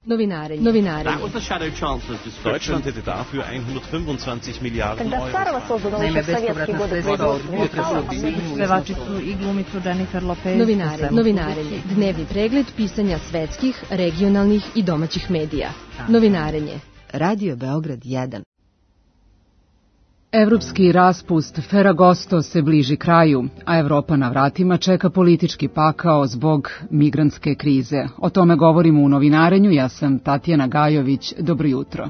Novinarenje. Deutschland hätte dafür 125 Miliarden Euro. Naime, bespovratna sredstva od budžeta se objedinjuju. Pevačicu i glumicu Jennifer Lopez. Novinarenje. Dnevni pregled pisanja svetskih, regionalnih i domaćih medija. Novinarenje. Radio Beograd 1. Evropski raspust Ferragosto se bliži kraju, a Evropa na vratima čeka politički pakao zbog migrantske krize. O tome govorimo u novinarenju. Ja sam Tatjana Gajović. Dobro jutro.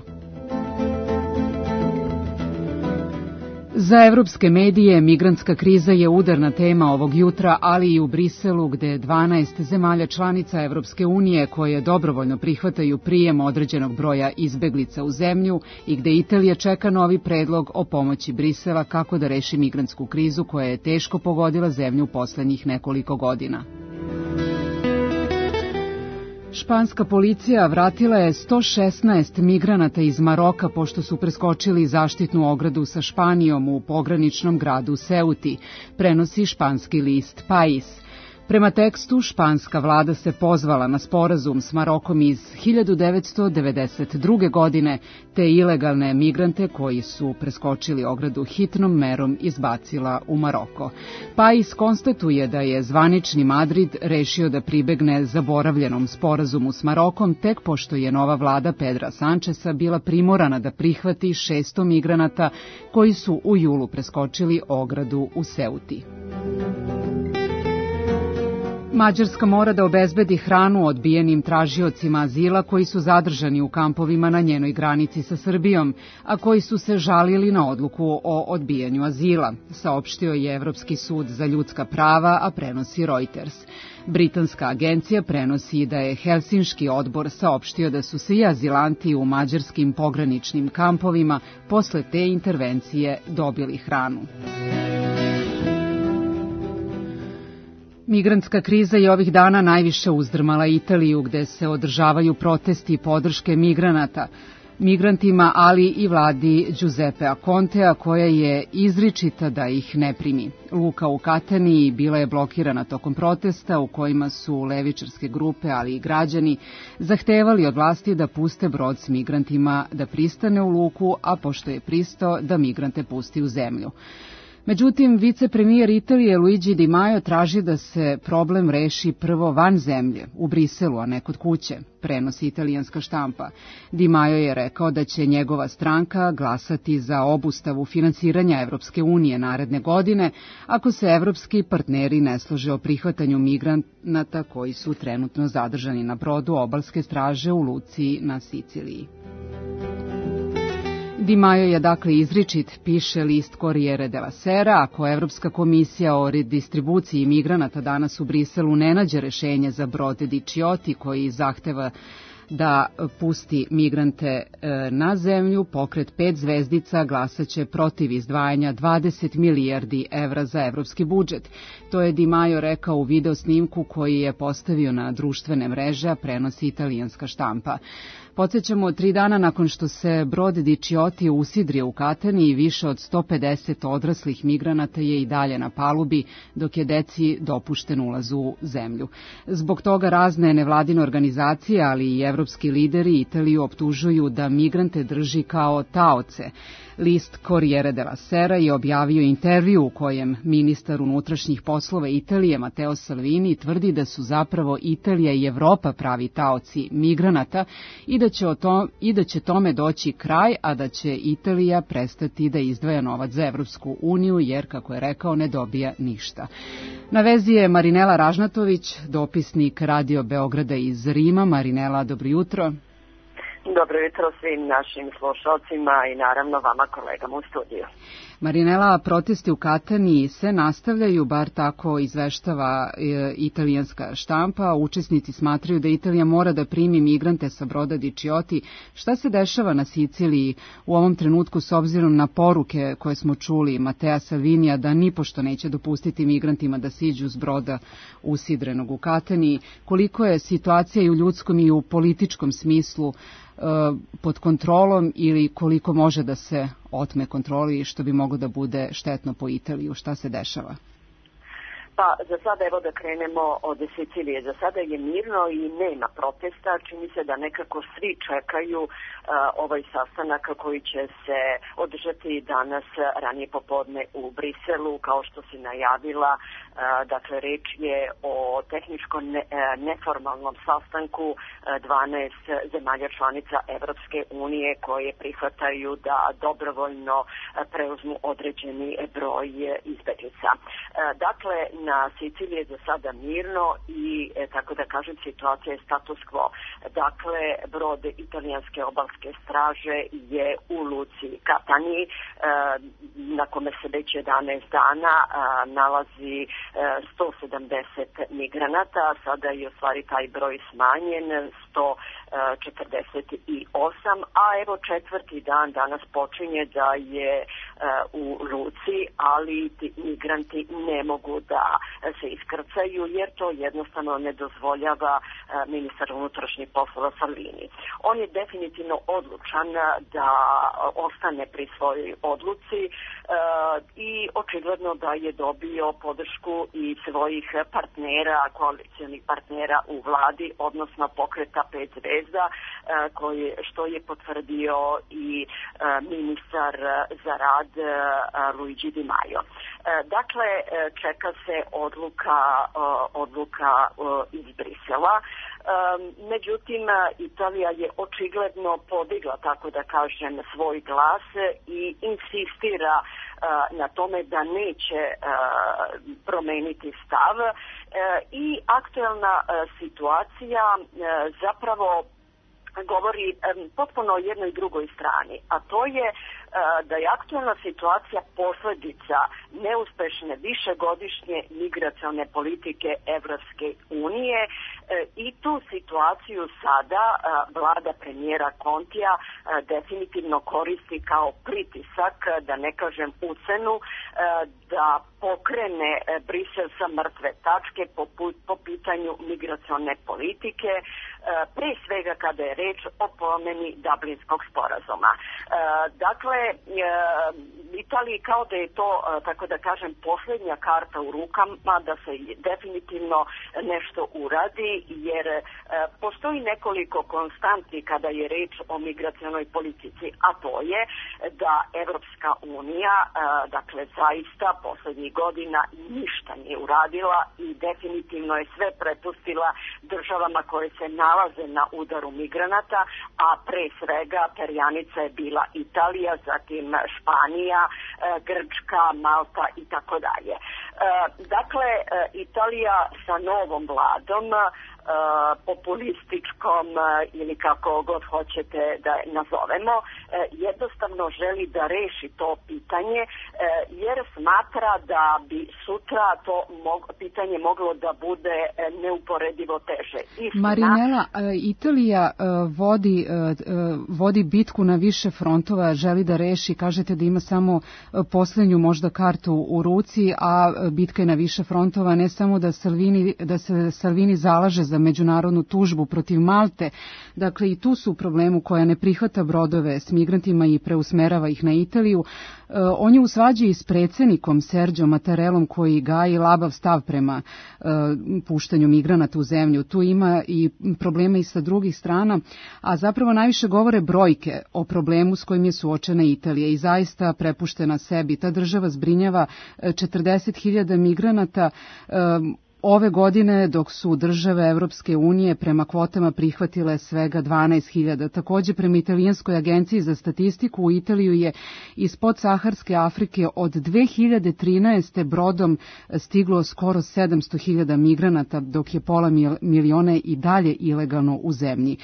Za evropske medije migrantska kriza je udarna tema ovog jutra, ali i u Briselu, gde 12 zemalja članica Evropske unije koje dobrovoljno prihvataju prijem određenog broja izbeglica u zemlju i gde Italija čeka novi predlog o pomoći Brisela kako da reši migrantsku krizu koja je teško pogodila zemlju poslednjih nekoliko godina. Španska policija vratila je 116 migranata iz Maroka pošto su preskočili zaštitnu ogradu sa Španijom u pograničnom gradu Ceuti, prenosi španski list País. Prema tekstu, španska vlada se pozvala na sporazum s Marokom iz 1992. godine, te ilegalne migrante koji su preskočili ogradu hitnom merom izbacila u Maroko. País konstatuje da je zvanični Madrid rešio da pribegne zaboravljenom sporazumu s Marokom tek pošto je nova vlada Pedra Sančesa bila primorana da prihvati 600 migranata koji su u julu preskočili ogradu u Ceuti. Mađarska mora da obezbedi hranu odbijenim tražiocima azila koji su zadržani u kampovima na njenoj granici sa Srbijom, a koji su se žalili na odluku o odbijanju azila, saopštio je Evropski sud za ljudska prava, a prenosi Reuters. Britanska agencija prenosi da je Helsinški odbor saopštio da su svi azilanti u mađarskim pograničnim kampovima posle te intervencije dobili hranu. Migrantska kriza je ovih dana najviše uzdrmala Italiju, gde se održavaju protesti podrške migrantima, ali i vladi Giuseppea Contea, koja je izričita da ih ne primi. Luka u Kataniji bila je blokirana tokom protesta u kojima su levičarske grupe, ali i građani, zahtevali od vlasti da puste brod s migrantima da pristane u luku, a pošto je pristao da migrante pusti u zemlju. Međutim, vicepremijer Italije Luigi Di Maio traži da se problem reši prvo van zemlje, u Briselu, a ne kod kuće, prenosi italijanska štampa. Di Maio je rekao da će njegova stranka glasati za obustavu finansiranja Evropske unije naredne godine ako se evropski partneri ne slože o prihvatanju migranata koji su trenutno zadržani na brodu obalske straže u luci na Siciliji. Di Maio je dakle izričit, piše list Corriere della Sera, ako Evropska komisija o redistribuciji migranata danas u Briselu ne nađe rešenje za brod Diciotti koji zahteva da pusti migrante na zemlju, pokret 5 zvezdica glasaće protiv izdvajanja 20 milijardi evra za evropski budžet. To je Di Maio rekao u video snimku koji je postavio na društvene mreže, a prenosi italijanska štampa. Podsjećamo, 3 dana nakon što se brod Diciotti usidrio u Katani i više od 150 odraslih migranata je i dalje na palubi, dok je deci dopušten ulaz u zemlju. Zbog toga razne nevladine organizacije, ali i evropski lideri Italiju optužuju da migrante drži kao taoce. List Corriere della Sera je objavio intervju u kojem ministar unutrašnjih poslova Italije Matteo Salvini tvrdi da su zapravo Italija i Evropa pravi taoci migranata i da će tome doći kraj, a da će Italija prestati da izdvaja novac za Evropsku uniju jer, kako je rekao, ne dobija ništa. Na vezi je Marinela Ražnatović, dopisnik Radio Beograda iz Rima. Marinela, dobro jutro. Dobro jutro svim našim slušalcima i naravno vama kolegama u studiju. Marinela, protesti u Kataniji se nastavljaju, bar tako izveštava italijanska štampa. Učesnici smatraju da Italija mora da primi migrante sa broda Diciotti. Šta se dešava na Siciliji u ovom trenutku s obzirom na poruke koje smo čuli Mattea Salvinija da nipošto neće dopustiti migrantima da siđu s broda usidrenog u Kataniji? Koliko je situacija i u ljudskom i u političkom smislu pod kontrolom ili koliko može da se otme kontroli što bi moglo da bude štetno po Italiju? Šta se dešava? Pa za sada evo da krenemo od Sicilije. Za sada je mirno i nema protesta. Čini se da nekako svi čekaju ovaj sastanak koji će se održati danas ranije popodne u Briselu, kao što se najavila. Dakle, reč je o tehničkom neformalnom sastanku 12 zemalja članica Evropske unije koje prihvataju da dobrovoljno preuzmu određeni broj izbeglica. Dakle, na Siciliji je za sada mirno i, tako da kažem, situacija je status quo. Dakle, brod italijanske obalske straže je u luci Catania, na kome se već 11 dana nalazi 170 migranata. Sada je u stvari taj broj smanjen, 148, a evo četvrti dan danas počinje da je u luci, ali ti migranti ne mogu da se iskrcaju jer to jednostavno ne dozvoljava ministar unutrašnjih poslova Salvini. On je definitivno odlučan da ostane pri svojoj odluci i očigledno da je dobio podršku i svojih partnera, koalicionih partnera u vladi, odnosno pokreta 5 zvezda, što je potvrdio i ministar za rad Luigi Di Maio. Dakle, čeka se odluka iz Brisela. Međutim, Italija je očigledno podigla, tako da kažem, svoj glas i insistira na tome da neće promeniti stav i aktuelna situacija zapravo govori potpuno o jednoj drugoj strani, a to je da je aktualna situacija posljedica neuspešne višegodišnje migracione politike Evropske unije i tu situaciju sada vlada premijera Kontija definitivno koristi kao pritisak, da ne kažem ucenu, da pokrene Brisel sa mrtve tačke po pitanju migracione politike, pre svega kada je reč o promeni Dublinskog sporazuma. Dakle, Italiji kao da je to, tako da kažem, posljednja karta u rukama da se definitivno nešto uradi, jer postoji nekoliko konstanti kada je reč o migracionoj politici, a to je da Evropska unija, dakle, zaista poslednjih godina ništa nije uradila i definitivno je sve prepustila državama koje se nalaze na udaru migranata, a pre svega perjanica je bila Italija, zatim Španija, Grčka, Malta i tako dalje. Dakle, Italija sa novom vladom, populističkom ili kako god hoćete da je nazovemo, jednostavno želi da reši to pitanje jer smatra da bi sutra to pitanje moglo da bude neuporedivo teže. Marinela, Italija vodi bitku na više frontova, želi da reši, kažete da ima samo poslednju možda kartu u ruci, a bitka je na više frontova, ne samo da se Salvini zalaže za međunarodnu tužbu protiv Malte, dakle i tu su u problemu koja ne prihvata brodove s migrantima i preusmerava ih na Italiju. On je u svađi s predsjednikom Serđom Mattarellom koji gaji labav stav prema puštanju migranata u zemlju. Tu ima i problema i sa drugih strana, a zapravo najviše govore brojke o problemu s kojim je suočena Italija i zaista prepuštena sebi. Ta država zbrinjava 40.000 migranata ove godine, dok su države Evropske unije prema kvotama prihvatile svega 12.000. Također, prema Italijanskoj agenciji za statistiku, u Italiju je iz podsaharske Afrike od 2013. brodom stiglo skoro 700.000 migranata, dok je pola miliona i dalje ilegalno u zemlji.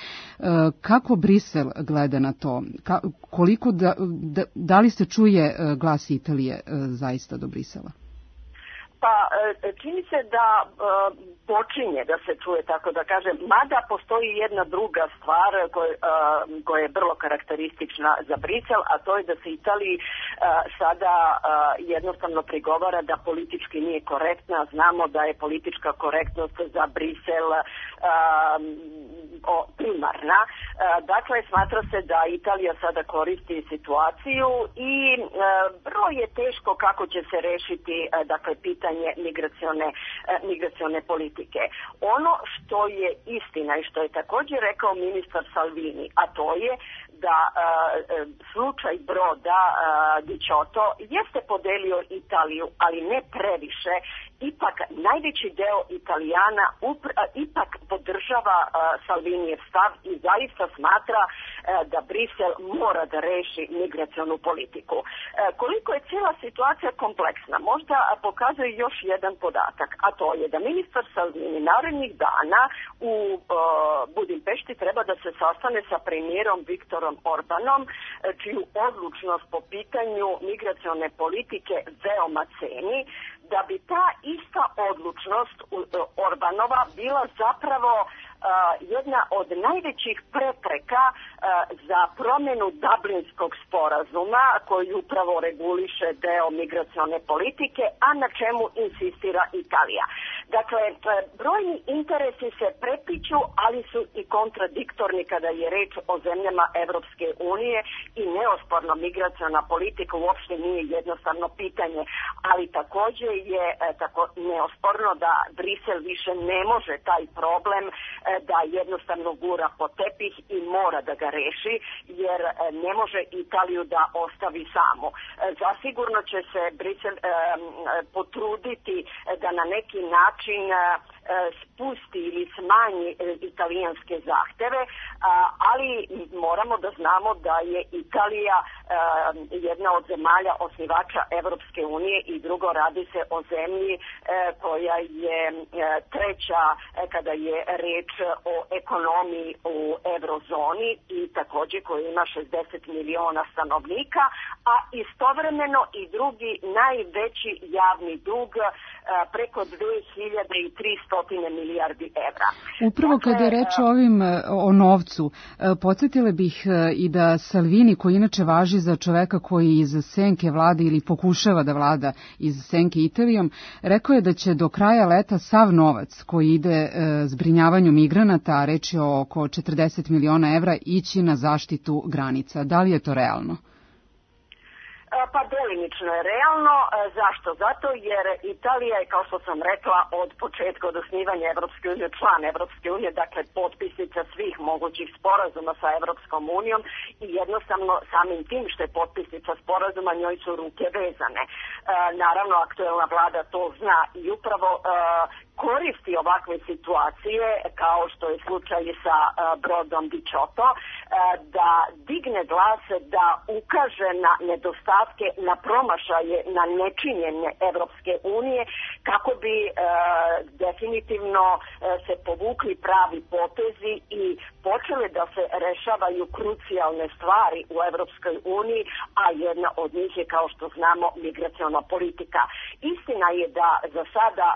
Kako Brisel gleda na to? Koliko da li se čuje glas Italije zaista do Brisela? Pa čini se da počinje da se čuje, tako da kažem, mada postoji jedna druga stvar koja je vrlo karakteristična za Brisel, a to je da se Italiji sada jednostavno prigovara da politički nije korektna. Znamo da je politička korektnost za Brisel primarna. Dakle, smatra se da Italija sada koristi situaciju i vrlo je teško kako će se rešiti dakle, pitanje migracione politike. Ono što je istina i što je također rekao ministar Salvini, a to je da slučaj broda Dicioto jeste podelio Italiju, ali ne previše. Ipak najveći deo Italijana ipak podržava Salvinijev stav i zaista smatra da Brisel mora da reši migracionu politiku. Koliko je cijela situacija kompleksna, možda pokazuje još jedan podatak, a to je da ministar Salvini narednih dana u Budimpešti treba da se sastane sa premijerom Viktorom Orbanom, čiju odlučnost po pitanju migracione politike veoma ceni, da bi ta ista odlučnost Orbanova bila zapravo jedna od najvećih prepreka za promjenu Dublinskog sporazuma koji upravo reguliše deo migracione politike, a na čemu insistira Italija. Dakle, brojni interesi se prepliću, ali su i kontradiktorni kada je reč o zemljama Evropske unije i neosporno migraciona politika uopšte nije jednostavno pitanje, ali također je tako neosporno da Brisel više ne može taj problem da jednostavno gura po tepih i mora da ga reši, jer ne može Italiju da ostavi samu. Zasigurno će se Brisel potruditi da na neki način spusti ili smanji italijanske zahteve, ali moramo da znamo da je Italija jedna od zemalja osnivača Evropske unije i drugo, radi se o zemlji koja je treća kada je reč o ekonomiji u eurozoni i također koja ima 60 miliona stanovnika, a istovremeno i drugi najveći javni dug preko 2300 milijardi evra. Upravo kada je reč o novcu, podsjetile bih i da Salvini, koji inače važi za čoveka koji iz senke vlada ili pokušava da vlada iz senke Italijom, rekao je da će do kraja leta sav novac koji ide zbrinjavanju migranata, a reč je o oko 40 miliona evra, ići na zaštitu granica. Da li je to realno? Pa delimično je realno. Zašto? Zato jer Italija je, kao što sam rekla, od početka, od osnivanja Evropske unije, član Evropske unije, dakle potpisnica svih mogućih sporazuma sa Evropskom unijom i jednostavno samim tim što je potpisnica sporazuma njoj su ruke vezane. Naravno, aktuelna vlada to zna i upravo koristi ovakve situacije, kao što je slučaj sa brodom Dicioto, da digne glas, da ukaže na nedostatke, na promašaje, na nečinjenje Evropske unije, kako bi definitivno se povukli pravi potezi i počele da se rešavaju krucijalne stvari u Evropskoj uniji, a jedna od njih je, kao što znamo, migraciona politika. Istina je da za sada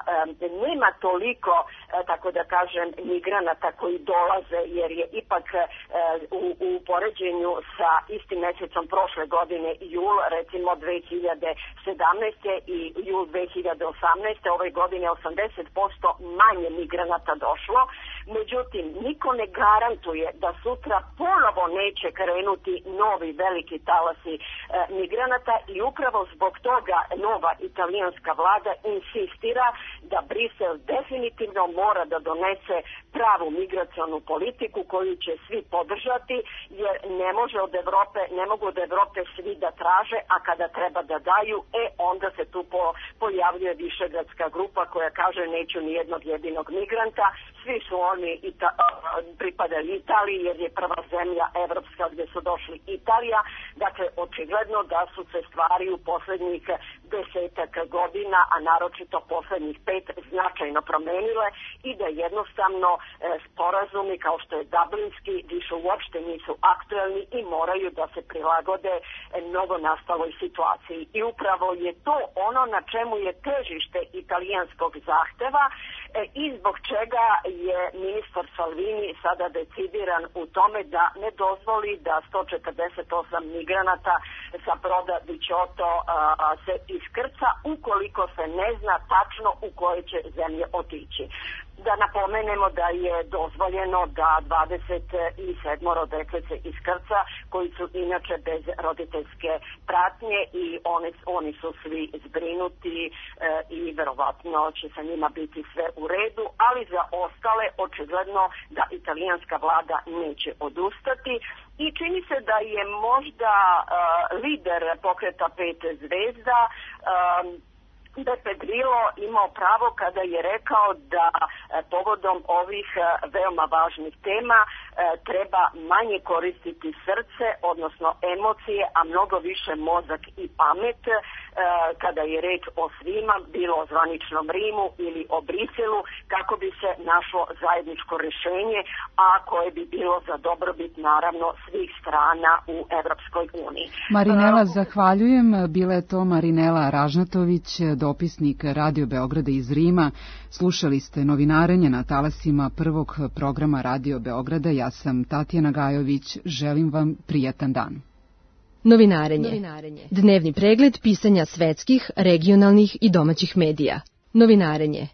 nema toliko, tako da kažem, migranata koji dolaze, jer je ipak u poređenju sa istim mesecom prošle godine, jul, recimo 2017. i jul 2018. ove godine 80% manje migranata došlo. Međutim, niko ne garantuje da sutra ponovo neće krenuti novi veliki talasi migranata i upravo zbog toga nova italijanska vlada insistira da Brisel definitivno mora da donese pravu migracionu politiku koju će svi podržati, jer ne mogu od Evrope svi da traže, a kada treba da daju, onda se tu pojavljuje Višegradska grupa koja kaže neću ni jednog jedinog migranta, svi su oni pripadali Italiji jer je prva zemlja evropska gdje su došli Italija. Dakle, očigledno da su se stvari u posljednjih 10 godina, a naročito posljednjih 5 značajno promenile i da jednostavno sporazumi kao što je Dublinski više uopšte nisu aktuelni i moraju da se prilagode mnogo nastaloj situaciji. I upravo je to ono na čemu je težište italijanskog zahteva i zbog čega je ministar Salvini sada decidiran u tome da ne dozvoli da 148 migranata sa broda Dicioto se iskrca ukoliko se ne zna tačno u koje će zemlje otići. Da napomenemo da je dozvoljeno da 27 deklice iskrca koji su inače bez roditeljske pratnje i oni su svi zbrinuti i verovatno će sa njima biti sve u redu, ali za ostale očigledno da italijanska vlada neće odustati. I čini se da je možda lider pokreta 5 zvezda Beppe Grillo imao pravo kada je rekao da povodom ovih veoma važnih tema treba manje koristiti srce, odnosno emocije, a mnogo više mozak i pamet kada je reč o svima, bilo o zvaničnom Rimu ili o Briselu, kako bi se našlo zajedničko rješenje, a koje bi bilo za dobrobit naravno svih strana u Evropskoj uniji. Marinela, zahvaljujem. Bila je to Marinela Ražnatović, dopisnik Radio Beograda iz Rima. Slušali ste novinarenje na talasima prvog programa Radio Beograda. Ja sam Tatjana Gajović. Želim vam prijatan dan. Novinarenje. Dnevni pregled pisanja svetskih, regionalnih i domaćih medija. Novinarenje.